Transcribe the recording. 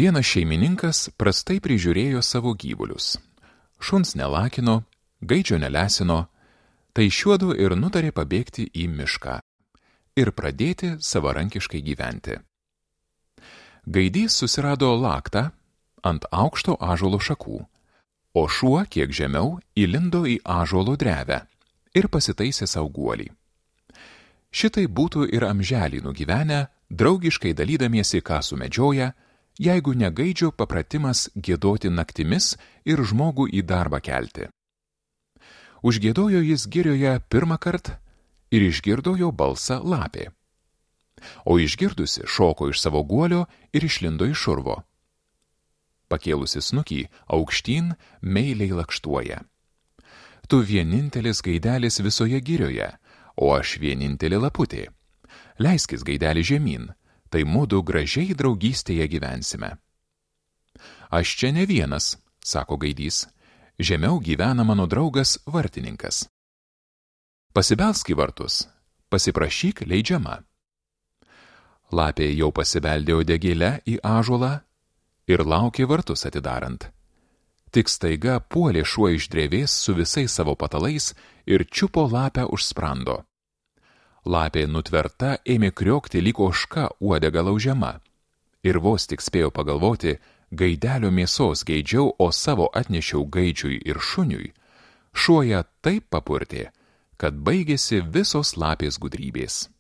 Vienas šeimininkas prastai prižiūrėjo savo gyvulius. Šuns nelakino, gaidžio nelesino, tai šiuodu ir nutarė pabėgti į mišką ir pradėti savarankiškai gyventi. Gaidys susirado laktą ant aukšto ąžuolo šakų, o šuo kiek žemiau įlindo į ąžuolo drevę ir pasitaisė sau guolį. Šitai būtų ir amželį nugyvenę, draugiškai dalydamiesi, ką sumedžioja, jeigu ne gaidžio papratimas giedoti naktimis ir žmogų į darbą kelti. Užgiedojo jis girioje pirmą kartą ir išgirdo jo balsą lapė. O išgirdusi šoko iš savo guolio ir išlindo iš urvo. Pakėlusi snukį, aukštyn meiliai lakštuoja. Tu vienintelis gaidelis visoje girioje, o aš vienintelė laputė. Leiskis gaidelį žemyn, tai mudu gražiai draugystėje gyvensime. Aš čia ne vienas, sako gaidys, žemiau gyvena mano draugas vartininkas. Pasibelsk į vartus, pasiprašyk leidžiama. Lapė jau pasibeldė uodegėle į ąžuolą ir laukė vartus atidarant. Tik staiga puolė šuo iš drevės su visais savo patalais ir čiupo lapę už sprando. Lapė nutverta ėmė kriokti lyg ožka uodega laužiama. Ir vos tik spėjo pagalvoti, gaidelio mėsos geidžiau, o savo atnešiau gaidžiui ir šuniui, šuo ją taip papurtė, kad baigėsi visos lapės gudrybės.